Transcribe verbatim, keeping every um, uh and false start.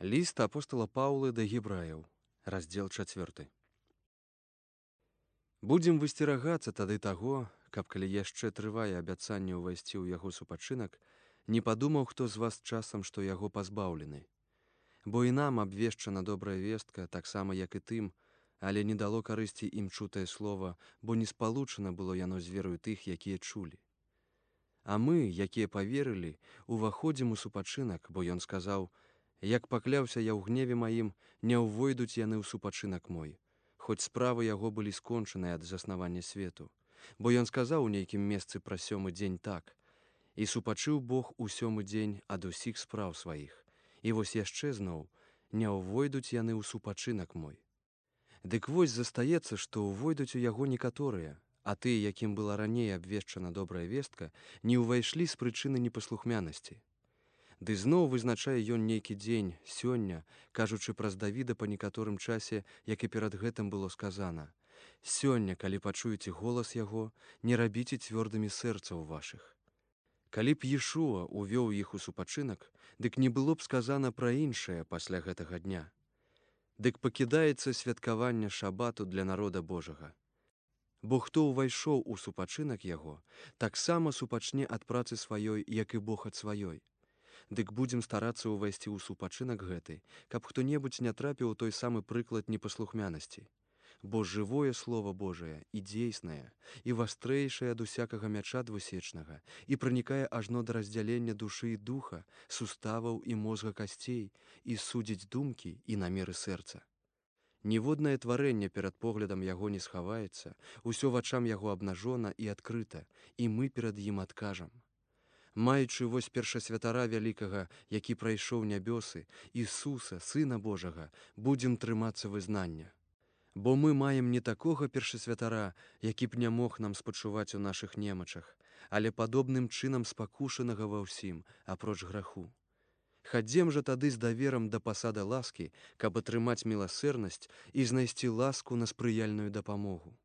Ліст апостала Паўлы да гебраяў, раздзел чацвёрты. Будзем высцерагацца тады таго, каб калі яшчэ трывае абяцанне ўвайсці ў яго супачынак, не падумаў хто з вас часам, што яго пазбаўлены. Бо і нам абвешчана добрая вестка, таксама як і тым, але не дало карысці ім чутае слова, бо не спалучана было яно з верою тых, якія чулі. А мы, якія паверылі, уваходзім у супачынак, бо ён сказаў: «Як пакляўся я ў гневе маім, не ўвойдуць яны ў супачынак мой», хоць справы яго былі скончаныя ад заснавання свету. Бо ён сказаў у нейкім месцы пра сёмы дзень так: «І супачыў Бог у сёмы дзень ад усіх спраў сваіх». І вось яшчэ зноў: «Не ўвойдуць яны ў супачынак мой». Дык вось застаецца, што ўвойдуць у яго некаторыя, а тыя, якім была раней абвешчана добрая вестка, не ўвайшлі з прычыны непаслухмянасці. Ды зноў вызначае ён нейкі дзень, сёння, кажучы праз Давіда па некаторым часе, як і перад гэтым было сказана: «Сёння, калі пачуеце голас яго, не рабіце цвёрдымі сэрцаў вашых». Калі б Ешуа увёў іх у супачынак, дык не было б сказана пра іншае пасля гэтага дня. Дык пакідаецца святкаванне шабату для народа Божага. Бо хто ўвайшоў у супачынак яго, таксама супачне ад працы сваёй, як і Бог ад сваёй. Дык будзем старацца ўвайсці ў супачынак гэты, каб хто-небудзь не трапіў у той самы прыклад непаслухмянасці. Бо жывое Слова Божае і дзейснае, і вастрэйшае ад усякага мяча двусечнага, і пранікае ажно да раздзялення душы і духа, суставаў і мозга касцей, і судзіць думкі і намеры сэрца. Ніводнае тварэнне перад поглядам яго не схаваецца, усё вачам яго абнажона і адкрыта, і мы перад ім адкажам. Маючы вось першасвятара вялікага, які прайшоў нябёсы, Ісуса, Сына Божага, будзем трымацца вызнання. Бо мы маем не такога першасвятара, які б не мог нам спачуваць у нашых немачах, але падобным чынам спакушанага ва ўсім, апроч граху. Хадзем жа тады з даверам да пасады ласкі, каб атрымаць міласэрнасць і знайсці ласку на спрыяльную дапамогу.